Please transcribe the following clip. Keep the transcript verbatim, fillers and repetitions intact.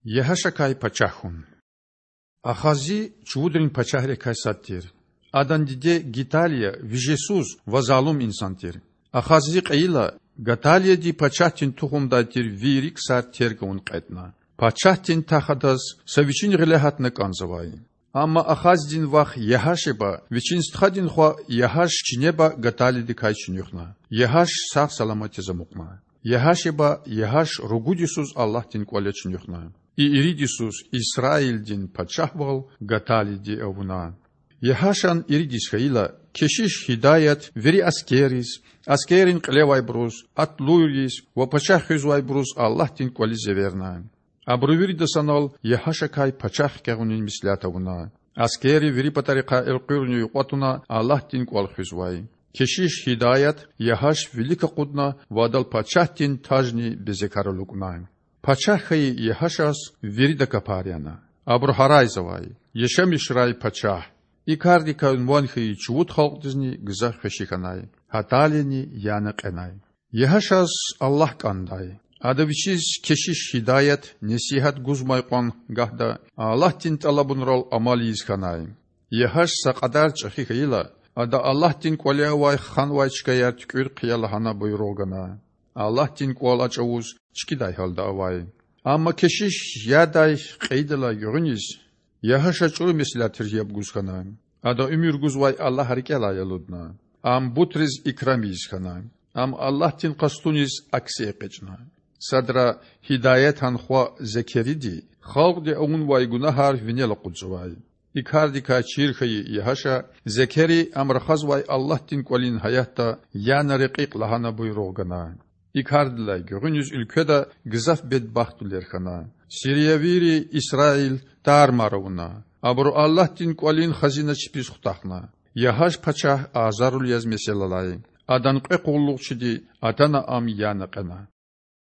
Ягьашакай пачагь хьун. Ахази чувудрин пачагьрикай сад тир. Адан диде Гаталия вижесуз ва залум инсан тир. Ахази кьейила, Гаталияди пачагьдин тухумдай тир вири ксар терг авун кьетІна. Пачагьдин тахт адаз са вичин гъиле гьатна кІанзавай. Амма Ахаздин вах Ягьашеба вичин стхадин хва Ягьаш чинеба Гаталиядикай чуьнуьхна. Ягьаш сагъ-саламат яз амукьна. Ягьашеба Ягьаш ругуд йисуз Аллагьдин кІвале чуьнуьхна. И ирид йисуз Исраилдин пачагьвал Гаталияди авуна. Ягьашан ирид йис хьайила, кешиш Гьидаят вири аскерриз, аскеррин кьилевайбуруз, атлуйриз ва пачагь хуьзвайбуруз Аллагьдин кІвализ эверна. Абуру вирида санал Ягьашакай пачагь хкягъунин меслят авуна. Аскерри вири патарихъай элкъуьрна юкьва туна Аллагьдин кІвал хуьзвай. Кешиш Гьидаят Ягьаш вилик акъудна ва адал пачагьдин тажни безекар алукІна. Пачагь хьайи Ягьашаз вирида капар яна. Абуру гьарайзавай: Яшамишрай пачагь! И кардикай ван хьайи чувуд халкьдизни гзаф хвеши хьанай. Гьаталияни яна кьенай. Ягьашаз Аллагь кІандай. Ада вичиз кешиш Гьидаят несигьат гузмай кьван гагьда Аллагьдин тІалабунрал амал ийиз хьанай. Ягьаш са кьадар чІехи хьайила, ада Аллагьдин кІвале авай ханвай чкаяр туькІуьр хъия лагьана буйругъ гана. Аллагьдин кІвал а чІавуз чкІидай гьалда авай. Амма кешиш Гьидаят кьейидалай гуьгъуьниз Ягьаша чІуру меслятриз яб гуз хьана. Ада уьмуьр гузвай Аллагь рикІелай алудна. Ам бутриз икрам ийиз хьана. Ам Аллагьдин къастуниз акси экъечІна. Садра Гьидаятан хва Зекериди халкьди авунвай гунагьар винел акъудзавай. И кардикай чир хьайи Ягьаша Зекери ам рахазвай Аллагьдин кІвалин гьаятда яна рекьикь лагьана буйругъ гана. И кардилай гуьгъуьниз уьлкведа гзаф бедбахтвилер хьана. Сириявийри Исраил тар-мар авуна. Абуру Аллагьдин кІвалин хазина чпиз хутахна. Ягьаш пачагь азарлу яз месел алай. Адан кьве къуллугъчиди атана ам яна кьена.